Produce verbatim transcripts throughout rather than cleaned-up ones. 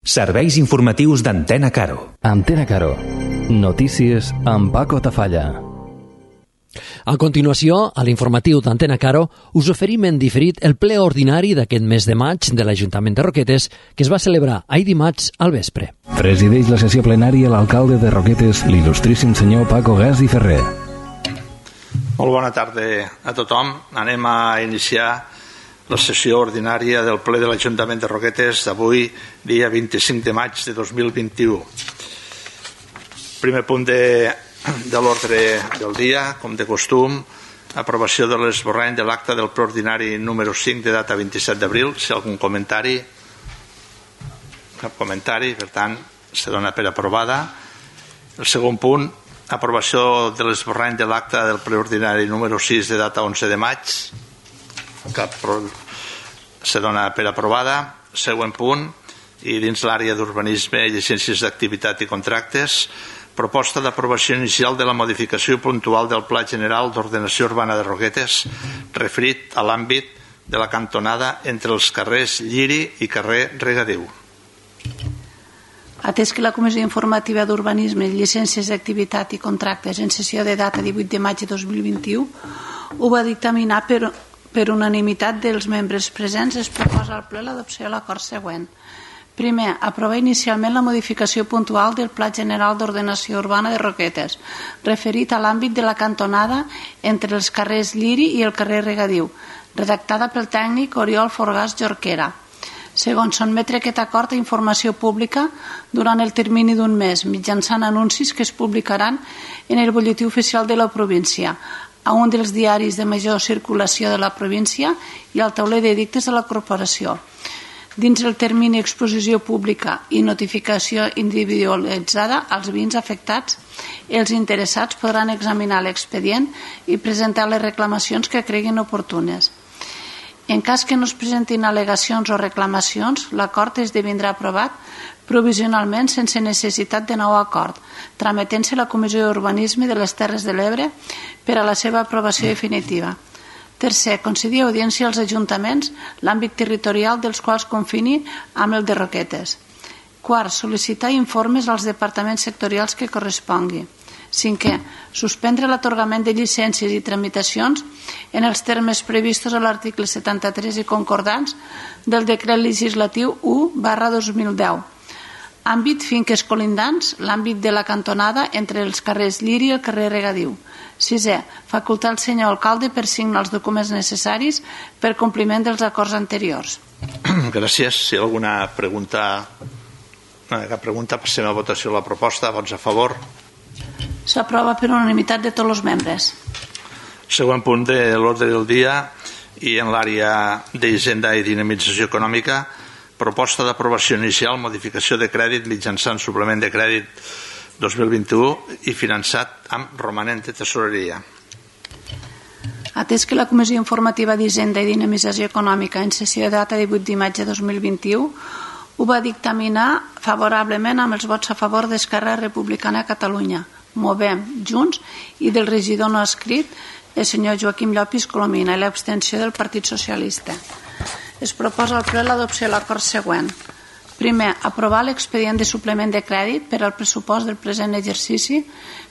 Serveis informatius d'Antena Caro. Antena Caro. Notícies amb Paco Tafalla. A continuació, a l'informatiu d'Antena Caro, us oferim en diferit el ple ordinari d'aquest mes de maig de l'Ajuntament de Roquetes, que es va celebrar ahir dimarts al vespre. Presideix la sessió plenària l'alcalde de Roquetes, l'il·lustríssim senyor Paco Gas i Ferrer. Molt bona tarda a tothom. Anem a iniciar la sessió ordinària del ple de l'Ajuntament de Roquetes d'avui, dia vint-i-cinc de maig de dos mil vint-i-u. Primer punt de, de l'ordre del dia, com de costum, aprovació de l'esborrany de l'acte del ple ordinari número cinc de data vint-i-set d'abril. Si hi ha algun comentari? Cap comentari, per tant, se dona per aprovada. El segon punt, aprovació de l'esborrany de l'acte del ple ordinari número sis de data onze de maig. Cap se dona per aprovada. Següent punt, i dins l'àrea d'urbanisme, llicències d'activitat i contractes, proposta d'aprovació inicial de la modificació puntual del Pla General d'Ordenació Urbana de Roquetes referit a l'àmbit de la cantonada entre els carrers Lliri i carrer Regadiu. Atès que la Comissió Informativa d'Urbanisme, Llicències d'activitat i Contractes en sessió de data divuit de maig de dos mil vint-i-u ho va dictaminar per, per unanimitat dels membres presents, es proposa al ple l'adopció de l'acord següent. Primer, aprovar inicialment la modificació puntual del Pla General d'Ordenació Urbana de Roquetes, referit a l'àmbit de la cantonada entre els carrers Lliri i el carrer Regadiu, redactada pel tècnic Oriol Forgàs Jorquera. Segon, sotmetre aquest acord a informació pública durant el termini d'un mes, mitjançant anuncis que es publicaran en el butlletí oficial de la província, a un dels diaris de major circulació de la província i al tauler d'edictes de la corporació. Dins el termini exposició pública i notificació individualitzada als veïns afectats, els interessats podran examinar l'expedient i presentar les reclamacions que creguin oportunes. En cas que no es presentin al·legacions o reclamacions, l'acord esdevindrà aprovat provisionalment sense necessitat de nou acord, trametent-se a la Comissió d'Urbanisme de les Terres de l'Ebre per a la seva aprovació definitiva. Tercer, concedir audiència als ajuntaments l'àmbit territorial dels quals confini amb el de Roquetes. Quart, sol·licitar informes als departaments sectorials que correspongui. Cinquè, suspendre l'atorgament de llicències i tramitacions en els termes previstos a l'article setanta-tres i concordants del decret legislatiu u barra dos mil deu. Àmbit finques colindants, l'àmbit de la cantonada entre els carrers Lliri i el carrer Regadiu. Sisè, facultar el senyor alcalde per signar els documents necessaris per compliment dels acords anteriors. Gràcies. Si hi ha alguna pregunta, no, cap pregunta, passem a votació la proposta. Vots a favor? S'aprova per unanimitat de tots els membres. Següent punt de l'ordre del dia, i en l'àrea d'Hisenda i Dinamització Econòmica, proposta d'aprovació inicial, modificació de crèdit mitjançant suplement de crèdit dos mil vint-i-u i finançat amb romanent de tesoreria. Atès que la Comissió Informativa d'Hisenda i Dinamització Econòmica en sessió de data divuit de maig de dos mil vint-i-u ho va dictaminar favorablement amb els vots a favor d'Esquerra Republicana de Catalunya, Movem, Junts i del regidor no escrit, el senyor Joaquim Llopis Colomina, i l'abstenció del Partit Socialista. Es proposa al ple l'adopció de l'acord següent. Primer, aprovar l'expedient de suplement de crèdit per al pressupost del present exercici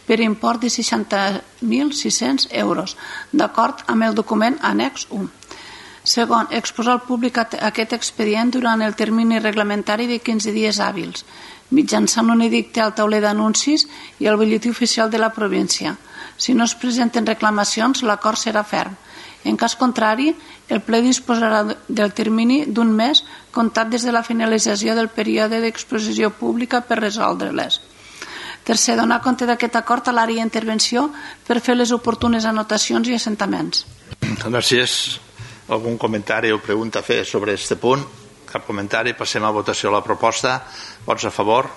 per import de seixanta mil sis-cents euros, d'acord amb el document annex u. Segon, exposar al públic aquest expedient durant el termini reglamentari de quinze dies hàbils, mitjançant un edicte al tauler d'anuncis i al butlletí oficial de la província. Si no es presenten reclamacions, l'acord serà ferm. En cas contrari, el ple disposarà del termini d'un mes comptat des de la finalització del període d'exposició pública per resoldre-les. Tercer, donar compte d'aquest acord a l'àrea d'intervenció per fer les oportunes anotacions i assentaments. Gràcies. Algun comentari o pregunta a fer sobre aquest punt? Cap comentari. Passem a votació a la proposta. Vots a favor?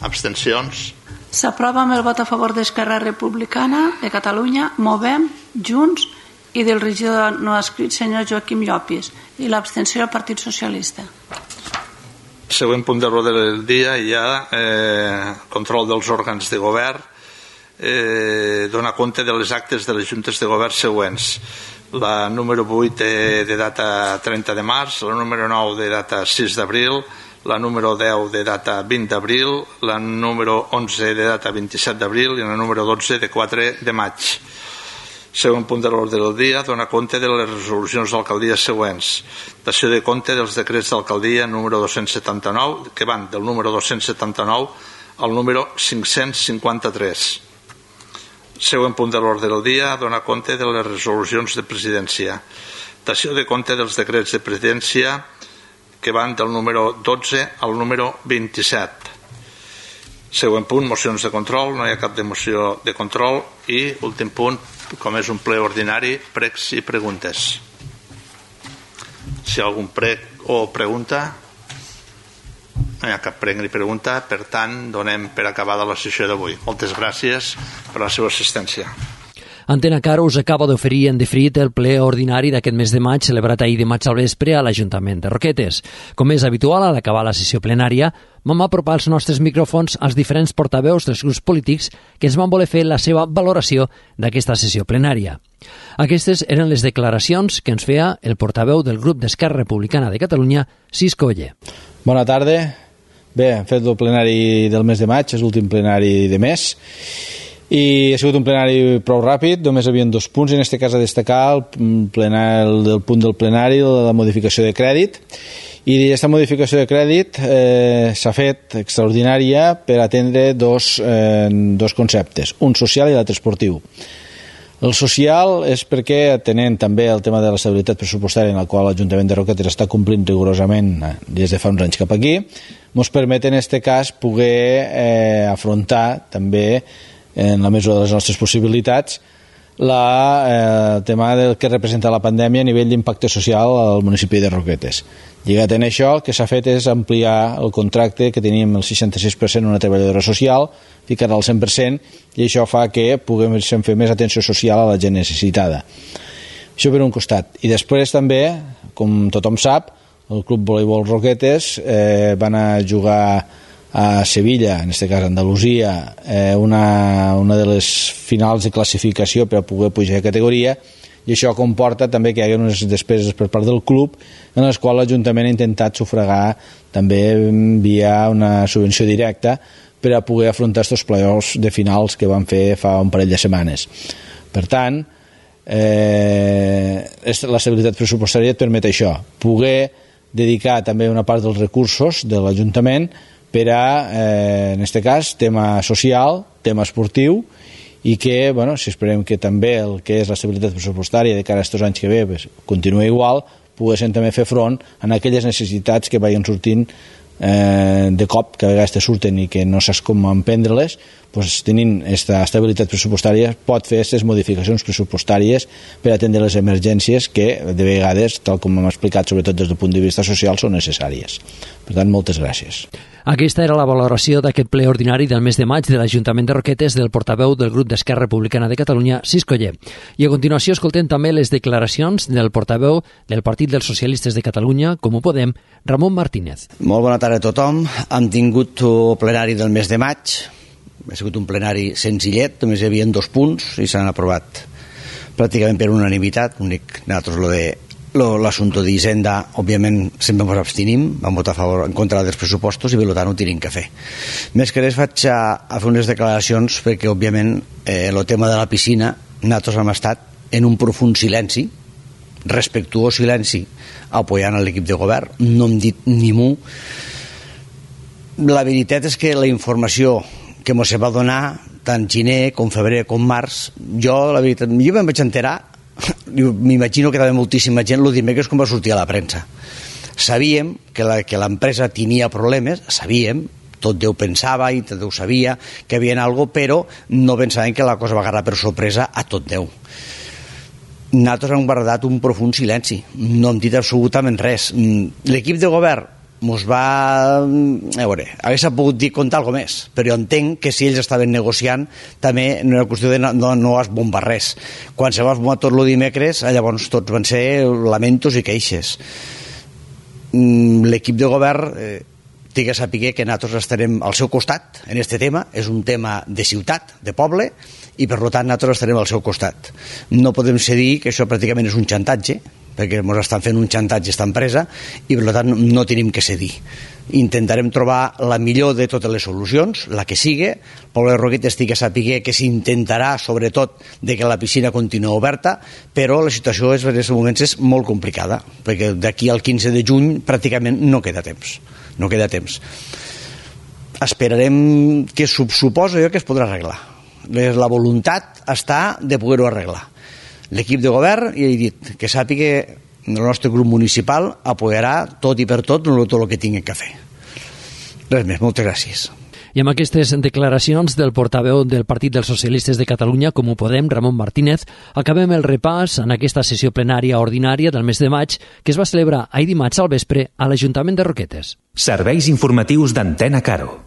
Abstencions? S'aprova amb el vot a favor d'Esquerra Republicana de Catalunya, Movem, Junts i del regidor no escrit senyor Joaquim Llopis i l'abstenció del Partit Socialista. Següent punt de l'ordre del dia, hi ha eh, control dels òrgans de govern, eh, donar compte de les actes de les juntes de govern següents. La número vuit de, de data trenta de març, la número nou de data sis d'abril, la número deu de data vint d'abril, la número onze de data vint-i-set d'abril i la número dotze de quatre de maig. Següent punt de l'ordre del dia, dona compte de les resolucions d'alcaldia següents. Dació de compte dels decrets d'alcaldia número dos-cents setanta-nou, que van del número dos-cents setanta-nou al número cinc-cents cinquanta-tres. Següent punt de l'ordre del dia, dona compte de les resolucions de presidència. Dació de compte dels decrets de presidència que van del número dotze al número vint-i-set. Següent punt, mocions de control, no hi ha cap de moció de control. I últim punt, com és un ple ordinari, pregs i preguntes. Si hi ha algun prec o pregunta, no hi ha cap prec ni pregunta, per tant, donem per acabada la sessió d'avui. Moltes gràcies per la seva assistència. Antena Caro us acaba d'oferir en diferit el ple ordinari d'aquest mes de maig celebrat ahir dimarts al vespre a l'Ajuntament de Roquetes. Com és habitual, a l'acabar la sessió plenària, vam apropar els nostres micròfons als diferents portaveus dels grups polítics que ens van voler fer la seva valoració d'aquesta sessió plenària. Aquestes eren les declaracions que ens feia el portaveu del grup d'Esquerra Republicana de Catalunya, Cisco Oller. Bona tarda. Bé, hem fet el plenari del mes de maig, és l'últim plenari de mes, i ha sigut un plenari prou ràpid, només hi havia dos punts, en aquest cas a destacar el, plenari, el punt del plenari, la modificació de crèdit, i aquesta modificació de crèdit eh, s'ha fet extraordinària per atendre dos, eh, dos conceptes, un social i l'altre esportiu. El social és perquè, atenent també el tema de l'estabilitat pressupostària en el qual l'Ajuntament de Roquetes està complint rigorosament des de fa uns anys cap aquí, ens permet en aquest cas poder eh, afrontar també en la mesura de les nostres possibilitats, la, eh, el tema del que representa la pandèmia a nivell d'impacte social al municipi de Roquetes. Lligat en això, el que s'ha fet és ampliar el contracte que teníem el seixanta-sis per cent una treballadora social, ficar-la al cent per cent, i això fa que puguem fer més atenció social a la gent necessitada. Això per un costat. I després també, com tothom sap, el Club Voleibol Roquetes eh, van a jugar a Sevilla, en aquest cas Andalusia, eh, una, una de les finals de classificació per a poder pujar de categoria, i això comporta també que hi hagi unes despeses per part del club en les quals l'Ajuntament ha intentat sufragar també via una subvenció directa per a poder afrontar aquests playoffs de finals que van fer fa un parell de setmanes. Per tant, eh, l'estabilitat pressupostària et permet això, poder dedicar també una part dels recursos de l'Ajuntament per a, eh, en aquest cas, tema social, tema esportiu, i que, bueno, si esperem que també el que és l'estabilitat pressupostària de cara a aquests anys que ve pues, continuï igual, poguessin també fer front a aquelles necessitats que vagin sortint eh, de cop, que a vegades te surten i que no saps com emprendre-les, pues, tenint aquesta estabilitat pressupostària pot fer aquestes modificacions pressupostàries per atendre les emergències que de vegades, tal com hem explicat, sobretot des del punt de vista social, són necessàries. Per tant, moltes gràcies. Aquesta era la valoració d'aquest ple ordinari del mes de maig de l'Ajuntament de Roquetes del portaveu del grup d'Esquerra Republicana de Catalunya, Cisco Oller. I a continuació escoltem també les declaracions del portaveu del Partit dels Socialistes de Catalunya, Com ho Podem, Ramon Martínez. Molt bona tarda a tothom. Hem tingut el plenari del mes de maig. Ha sigut un plenari senzillet, només hi havia dos punts i s'han aprovat pràcticament per unanimitat. L'únic, nosaltres lo de l'assumpte d'Hisenda, òbviament sempre ens abstenim, vam votar a favor en contra dels pressupostos i per tant ho tenim que fer. Més que res vaig a, a fer unes declaracions perquè òbviament eh, el tema de la piscina nosaltres hem estat en un profund silenci, respectuós silenci, apoyant l'equip de govern, no hem dit ni mu. La veritat és que la informació que ens va donar tant gener com febrer com març, jo la veritat, jo me'n vaig enterar, m'imagino que també moltíssima gent el dimecres quan va sortir a la premsa. Sabíem que la, que l'empresa tenia problemes, sabíem, tot Déu pensava i tot Déu sabia que hi havia algo, però no pensàvem que la cosa va agarrar per sorpresa a tot Déu. Nosaltres hem guardat un profund silenci, no hem dit absolutament res. L'equip de govern mos va... A veure, hauria pogut dir contar alguna més, però jo entenc que si ells estaven negociant també no era qüestió de no, no, no has bombat res. Quan se va bombar tot el dimecres, llavors tots van ser lamentos i queixes. L'equip de govern eh, té que saber que nosaltres estarem al seu costat en aquest tema, és un tema de ciutat, de poble, i per tant nosaltres estarem al seu costat. No podem cedir que això pràcticament és un xantatge, perquè ens estan fent un xantatge a aquesta empresa i per tant no tenim que cedir. intentarem trobar la millor de totes les solucions, la que sigui. El poble de Roquetes té que saber que s'intentarà, sobretot, de que la piscina continua oberta, però la situació és, en aquests moments és molt complicada, perquè d'aquí al quinze de juny pràcticament no queda temps. No queda temps. Esperarem que suposo jo que es podrà arreglar. La voluntat està de poder-ho arreglar. L'equip de govern, ja he dit, que sàpiga que el nostre grup municipal apoyarà tot i per tot tot el que tinguin que fer. Res més, moltes gràcies. I amb aquestes declaracions del portaveu del Partit dels Socialistes de Catalunya, Comú Podem, Ramon Martínez, acabem el repàs en aquesta sessió plenària ordinària del mes de maig que es va celebrar ahir dimarts al vespre a l'Ajuntament de Roquetes. Serveis informatius d'Antena Caro.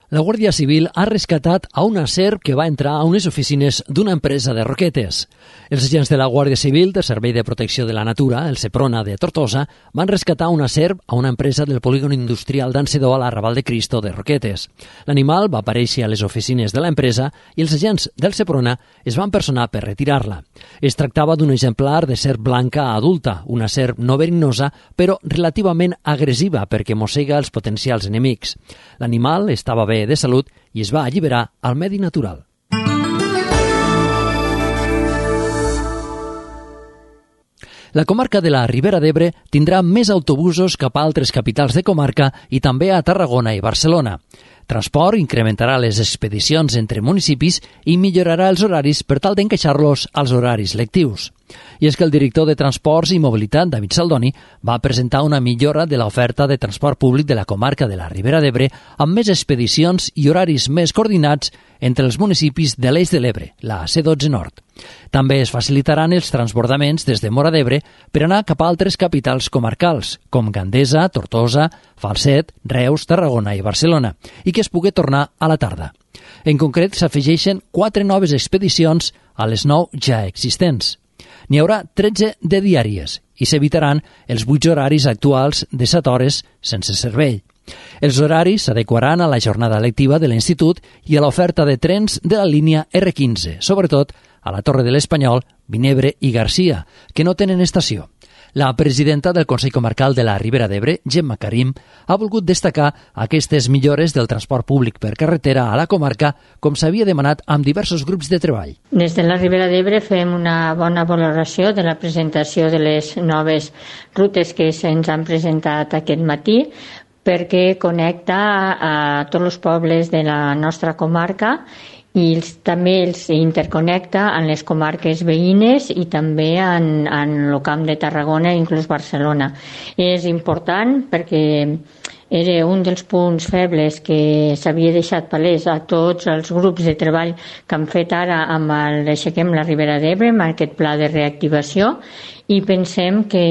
La Guàrdia Civil ha rescatat a una serp que va entrar a unes oficines d'una empresa de Roquetes. Els agents de la Guàrdia Civil del Servei de Protecció de la Natura, el Seprona de Tortosa, van rescatar una serp a una empresa del polígon industrial d'Ansedó a la Raval de Cristo de Roquetes. L'animal va aparèixer a les oficines de l'empresa i els agents del Seprona es van personar per retirar-la. Es tractava d'un exemplar de serp blanca adulta, una serp no verinosa, però relativament agressiva perquè mossega els potencials enemics. L'animal estava bé de salut i es va alliberar al medi natural. La comarca de la Ribera d'Ebre tindrà més autobusos cap a altres capitals de comarca i també a Tarragona i Barcelona. Transport incrementarà les expedicions entre municipis i millorarà els horaris per tal d'encaixar-los als horaris lectius. I és que el director de Transports i Mobilitat, David Saldoni, va presentar una millora de l'oferta de transport públic de la comarca de la Ribera d'Ebre amb més expedicions i horaris més coordinats entre els municipis de l'Eix de l'Ebre, la C dotze Nord. També es facilitaran els transbordaments des de Móra d'Ebre per anar cap a altres capitals comarcals, com Gandesa, Tortosa, Falset, Reus, Tarragona i Barcelona, i que es pugui tornar a la tarda. En concret, s'afegeixen quatre noves expedicions a les nou ja existents. N'hi haurà tretze de diàries i s'evitaran els vuit horaris actuals de set hores sense servei. Els horaris s'adequaran a la jornada lectiva de l'institut i a l'oferta de trens de la línia erre quinze, sobretot a la Torre de l'Espanyol, Vinebre i Garcia, que no tenen estació. La presidenta del Consell Comarcal de la Ribera d'Ebre, Gemma Karim, ha volgut destacar aquestes millores del transport públic per carretera a la comarca, com s'havia demanat amb diversos grups de treball. Des de la Ribera d'Ebre fem una bona valoració de la presentació de les noves rutes que se'ns han presentat aquest matí, perquè connecta a tots els pobles de la nostra comarca i els, també els interconnecta en les comarques veïnes i també en, en el Camp de Tarragona i inclús Barcelona. És important perquè era un dels punts febles que s'havia deixat palès a tots els grups de treball que han fet ara amb el Aixequem la Ribera d'Ebre, amb aquest pla de reactivació, i pensem que,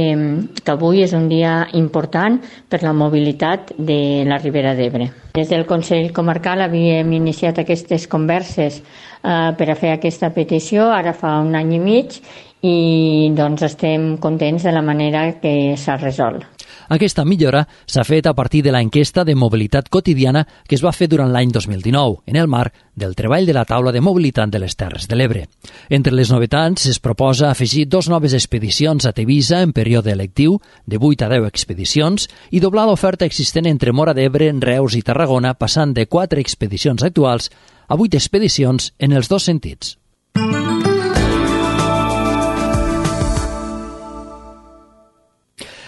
que avui és un dia important per la mobilitat de la Ribera d'Ebre. Des del Consell Comarcal havíem iniciat aquestes converses eh, per a fer aquesta petició, ara fa un any i mig, i doncs estem contents de la manera que s'ha resolt. Aquesta millora s'ha fet a partir de l'enquesta de mobilitat quotidiana que es va fer durant l'any dos mil dinou, en el marc del treball de la taula de mobilitat de les Terres de l'Ebre. Entre les novetats es proposa afegir dos noves expedicions a Tevisa en període lectiu, de vuit a deu expedicions, i doblar l'oferta existent entre Móra d'Ebre, Reus i Tarragona, passant de quatre expedicions actuals a vuit expedicions en els dos sentits.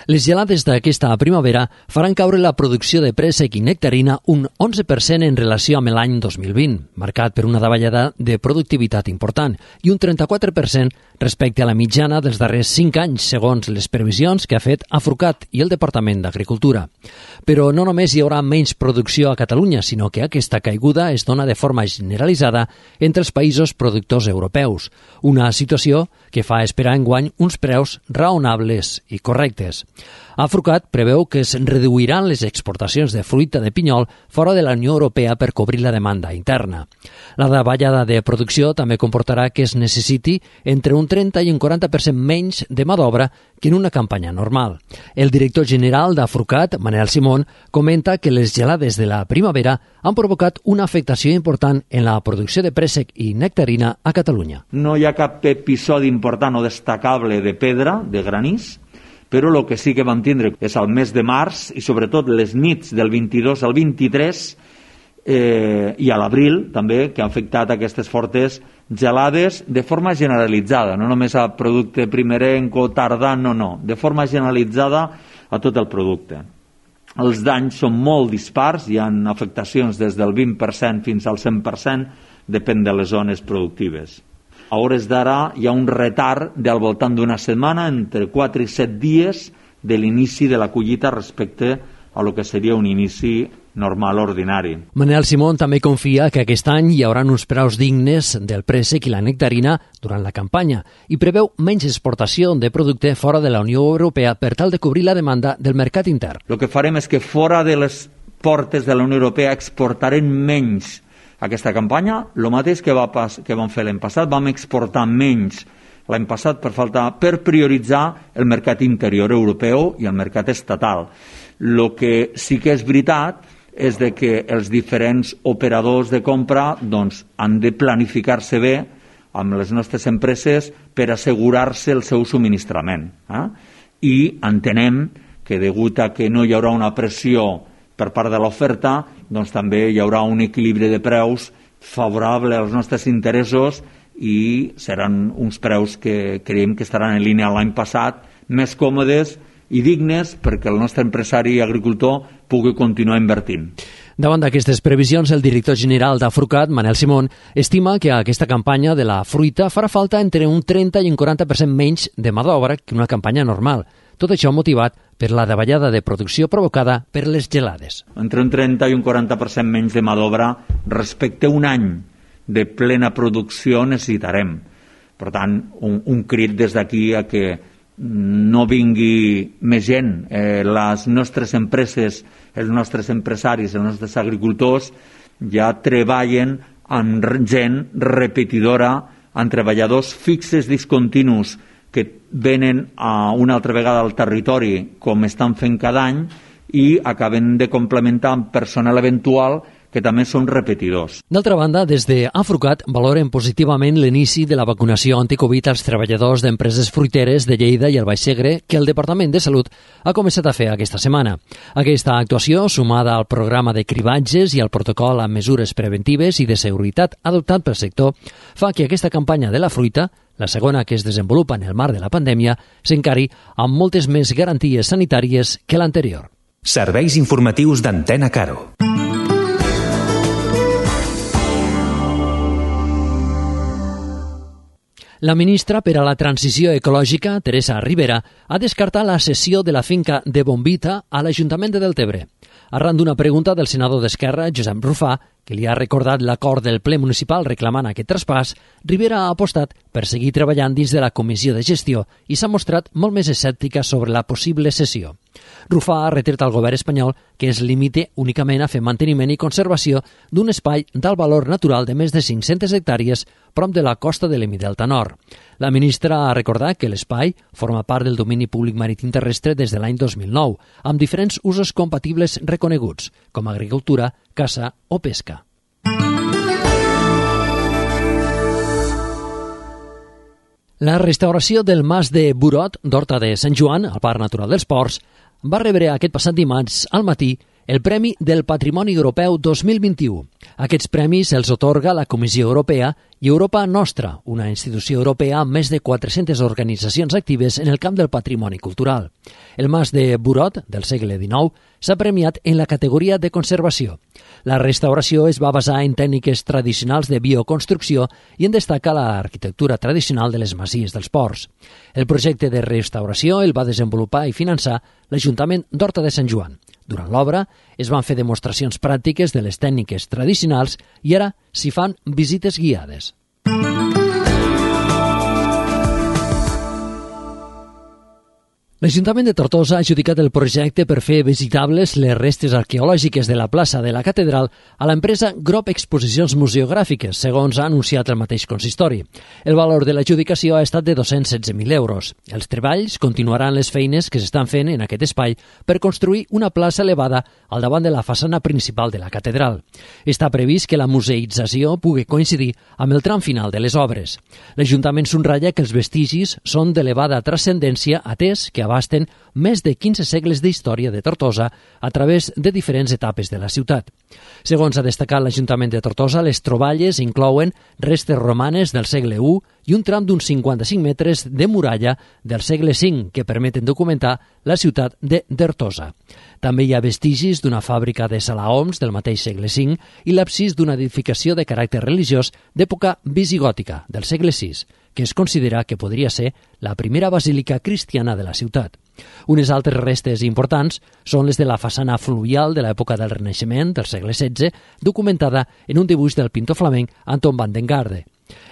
Les gelades d'aquesta primavera faran caure la producció de préssec i nectarina un onze per cent en relació amb l'any dos mil vint, marcat per una davallada de productivitat important, i un trenta-quatre per cent respecte a la mitjana dels darrers cinc anys, segons les previsions que ha fet Afrucat i el Departament d'Agricultura. Però no només hi haurà menys producció a Catalunya, sinó que aquesta caiguda es dona de forma generalitzada entre els països productors europeus, una situació que fa esperar enguany uns preus raonables i correctes. Afrucat preveu que es reduiran les exportacions de fruita de pinyol fora de la Unió Europea per cobrir la demanda interna. La davallada de producció també comportarà que es necessiti entre un trenta i un quaranta per cent menys de mà d'obra que en una campanya normal. El director general d'Afrucat, Manel Simón, comenta que les gelades de la primavera han provocat una afectació important en la producció de préssec i nectarina a Catalunya. No hi ha cap episodi important o destacable de pedra, de granís, però el que sí que vam tindre és al mes de març i sobretot les nits del vint-i-dos al vint-i-tres eh, i a l'abril també, que ha afectat aquestes fortes gelades de forma generalitzada, no només a producte primerenc o tardà, no, no, de forma generalitzada a tot el producte. Els danys són molt dispars, hi ha afectacions des del vint per cent fins al cent per cent, depèn de les zones productives. A hores d'ara hi ha un retard del voltant d'una setmana, entre quatre i set dies de l'inici de la collita respecte a lo que seria un inici normal, ordinari. Manel Simón també confia que aquest any hi haurà uns preus dignes del préssec i la nectarina durant la campanya i preveu menys exportació de producte fora de la Unió Europea per tal de cobrir la demanda del mercat intern. El que farem és que fora de les portes de la Unió Europea exportarem menys aquesta campanya, el mateix que, va pas, que vam fer l'any passat, vam exportar menys l'any passat per, falta, per prioritzar el mercat interior europeu i el mercat estatal. El que sí que és veritat és de que els diferents operadors de compra doncs, han de planificar-se bé amb les nostres empreses per assegurar-se el seu subministrament. Eh? I entenem que degut a que no hi haurà una pressió per part de l'oferta, doncs també hi haurà un equilibri de preus favorable als nostres interessos i seran uns preus que creiem que estaran en línia l'any passat, més còmodes i dignes perquè el nostre empresari i agricultor pugui continuar invertint. Davant d'aquestes previsions, el director general d'Afrucat, Manel Simón, estima que aquesta campanya de la fruita farà falta entre un trenta i un quaranta per cent menys de mà d'obra que una campanya normal. Tot això motivat per la davallada de producció provocada per les gelades. Entre un trenta i un quaranta per cent menys de mà d'obra respecte a un any de plena producció necessitarem. Per tant, un, un crit des d'aquí a que no vingui més gent. Eh, les nostres empreses, els nostres empresaris, els nostres agricultors ja treballen amb gent repetidora, amb treballadors fixes discontinus que venen a una altra vegada al territori com estan fent cada any i acaben de complementar amb personal eventual que també són repetidors. D'altra banda, des d'Afrucat valoren positivament l'inici de la vacunació anticovid als treballadors d'empreses fruiteres de Lleida i el Baix Segre que el Departament de Salut ha començat a fer aquesta setmana. Aquesta actuació, sumada al programa de cribatges i al protocol amb mesures preventives i de seguretat adoptat pel sector, fa que aquesta campanya de la fruita, la segona que es desenvolupa en el marc de la pandèmia, s'encari amb moltes més garanties sanitàries que l'anterior. Serveis informatius d'Antena Caro. La ministra per a la Transició Ecològica, Teresa Ribera, ha descartat la cessió de la finca de Bombita a l'Ajuntament de Deltebre. Arran d'una pregunta del senador d'Esquerra, Josep Rufà, que li ha recordat l'acord del ple municipal reclamant aquest traspàs, Ribera ha apostat per seguir treballant dins de la comissió de gestió i s'ha mostrat molt més escèptica sobre la possible cessió. Rufà ha retret al govern espanyol que es limite únicament a fer manteniment i conservació d'un espai d'alt valor natural de més de cinc-centes hectàrees prop de la costa de l'Hemidelta Nord. La ministra ha recordat que l'espai forma part del domini públic marítim terrestre des de l'any dos mil nou, amb diferents usos compatibles reconeguts, com agricultura, caça o pesca. La restauració del Mas de Burot, d'Horta de Sant Joan, al Parc Natural dels Ports, va rebre aquest passat dimarts al matí el Premi del Patrimoni Europeu dos mil vint-i-u. Aquests premis els atorga la Comissió Europea i Europa Nostra, una institució europea amb més de quatre-centes organitzacions actives en el camp del patrimoni cultural. El Mas de Burot, del segle dinou, s'ha premiat en la categoria de conservació. La restauració es va basar en tècniques tradicionals de bioconstrucció i en destacar l'arquitectura tradicional de les masies dels ports. El projecte de restauració el va desenvolupar i finançar l'Ajuntament d'Horta de Sant Joan. Durant l'obra es van fer demostracions pràctiques de les tècniques tradicionals i ara s'hi fan visites guiades. L'Ajuntament de Tortosa ha adjudicat el projecte per fer visitables les restes arqueològiques de la plaça de la Catedral a l'empresa Grop Exposicions Museogràfiques, segons ha anunciat el mateix consistori. El valor de l'adjudicació ha estat de dos-cents setze mil euros. Els treballs continuaran les feines que s'estan fent en aquest espai per construir una plaça elevada al davant de la façana principal de la Catedral. Està previst que la museïtzació pugui coincidir amb el tram final de les obres. L'Ajuntament subratlla que els vestigis són d'elevada transcendència, atès que abasten més de quinze segles d'història de Tortosa a través de diferents etapes de la ciutat. Segons ha destacat l'Ajuntament de Tortosa, les troballes inclouen restes romanes del segle u i un tram d'uns cinquanta-cinc metres de muralla del segle cinc que permeten documentar la ciutat de Tortosa. També hi ha vestigis d'una fàbrica de salaoms del mateix segle cinc i l'absis d'una edificació de caràcter religiós d'època visigòtica del segle sis, que es considera que podria ser la primera basílica cristiana de la ciutat. Unes altres restes importants són les de la façana fluvial de l'època del Renaixement del segle setze, documentada en un dibuix del pintor flamenc Anton van den Garde.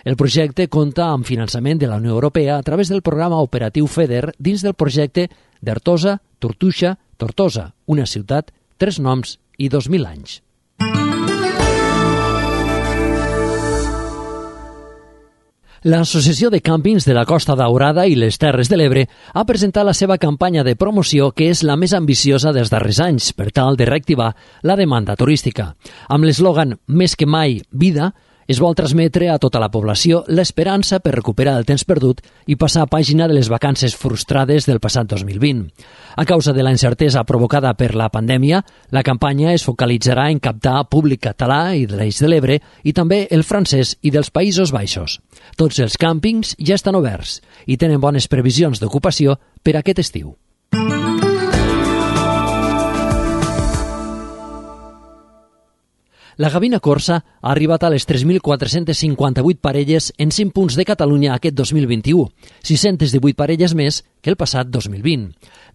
El projecte compta amb finançament de la Unió Europea a través del programa operatiu FEDER dins del projecte d'Artosa, Tortuixa, Tortosa, una ciutat, tres noms i dos mil anys. L'Associació de Càmpings de la Costa Daurada i les Terres de l'Ebre ha presentat la seva campanya de promoció, que és la més ambiciosa dels darrers anys, per tal de reactivar la demanda turística. Amb l'eslògan «Més que mai, vida», es vol transmetre a tota la població l'esperança per recuperar el temps perdut i passar a pàgina de les vacances frustrades del passat dos mil vint. A causa de la incertesa provocada per la pandèmia, la campanya es focalitzarà en captar públic català i de l'Eix de l'Ebre i també el francès i dels Països Baixos. Tots els càmpings ja estan oberts i tenen bones previsions d'ocupació per aquest estiu. La Gavina Corsa ha arribat a les tres mil quatre-cents cinquanta-vuit parelles en cinc punts de Catalunya aquest dos mil vint-i-u, sis-cents divuit parelles més que el passat dos mil vint.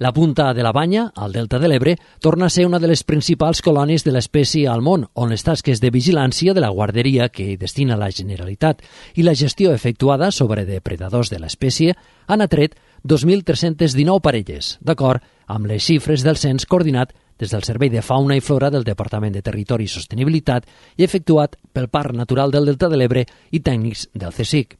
La punta de la Banya, al Delta de l'Ebre, torna a ser una de les principals colònies de l'espècie al món, on les tasques de vigilància de la guarderia que hi destina la Generalitat i la gestió efectuada sobre depredadors de l'espècie han atret dos mil tres-cents dinou parelles, d'acord amb les xifres del cens coordinat des del Servei de Fauna i Flora del Departament de Territori i Sostenibilitat i efectuat pel Parc Natural del Delta de l'Ebre i tècnics del C S I C.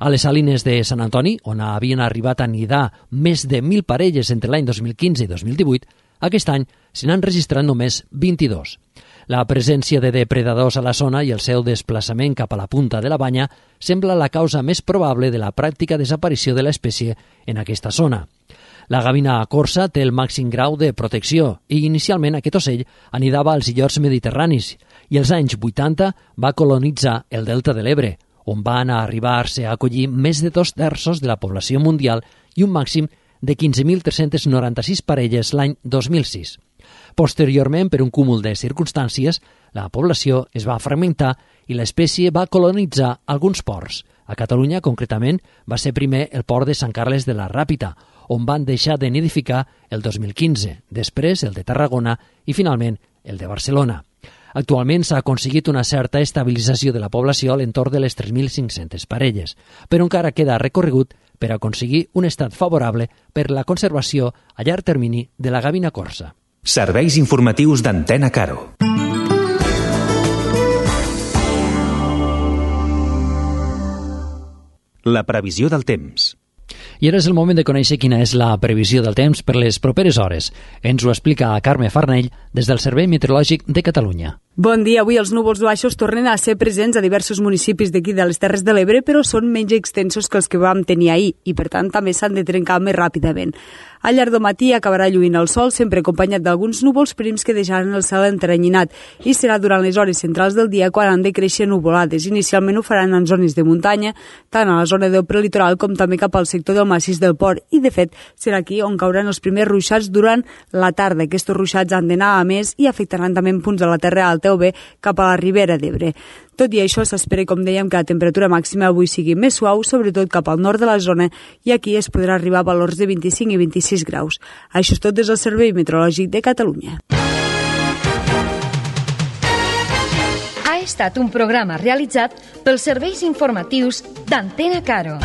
A les Salines de Sant Antoni, on havien arribat a nidar més de mil parelles entre l'any dos mil quinze i dos mil divuit, aquest any se n'han registrat només vint-i-dos. La presència de depredadors a la zona i el seu desplaçament cap a la punta de la Banya sembla la causa més probable de la pràctica desaparició de l'espècie en aquesta zona. La gavina corsa té el màxim grau de protecció i inicialment aquest ocell anidava als illots mediterranis i als anys vuitanta va colonitzar el Delta de l'Ebre, on van arribar-se a acollir més de dos terços de la població mundial i un màxim de quinze mil tres-cents noranta-sis parelles l'any dos mil sis. Posteriorment, per un cúmul de circumstàncies, la població es va fragmentar i l'espècie va colonitzar alguns ports. A Catalunya, concretament, va ser primer el port de Sant Carles de la Ràpita, on van deixar de nidificar el dos mil quinze, després el de Tarragona i, finalment, el de Barcelona. Actualment s'ha aconseguit una certa estabilització de la població a l'entorn de les tres mil cinc-centes parelles, però encara queda recorregut per aconseguir un estat favorable per la conservació a llarg termini de la gavina corsa. Serveis informatius d'Antena Caro. La previsió del temps. I ara és el moment de conèixer quina és la previsió del temps per les properes hores. Ens ho explica Carme Farnell des del Servei Meteorològic de Catalunya. Bon dia. Avui els núvols baixos tornen a ser presents a diversos municipis d'aquí de les Terres de l'Ebre, però són menys extensos que els que vam tenir ahir i, per tant, també s'han de trencar més ràpidament. Al llarg del matí acabarà lluint el sol, sempre acompanyat d'alguns núvols prims que deixaran el cel enteranyinat, i serà durant les hores centrals del dia quan han de créixer nuvolades. Inicialment ho faran en zones de muntanya, tant a la zona del prelitoral com també cap al sector del massís del Port, i de fet serà aquí on cauran els primers ruixats durant la tarda. Aquests ruixats han d'anar a més i afectaran també en punts de la Terra Alta o bé cap a la Ribera d'Ebre. Tot i això, s'espera, com dèiem, que la temperatura màxima avui sigui més suau, sobretot cap al nord de la zona, i aquí es podrà arribar a valors de vint-i-cinc i vint-i-sis graus. Això és tot des del Servei Meteorològic de Catalunya. Ha estat un programa realitzat pels serveis informatius d'Antena Caro.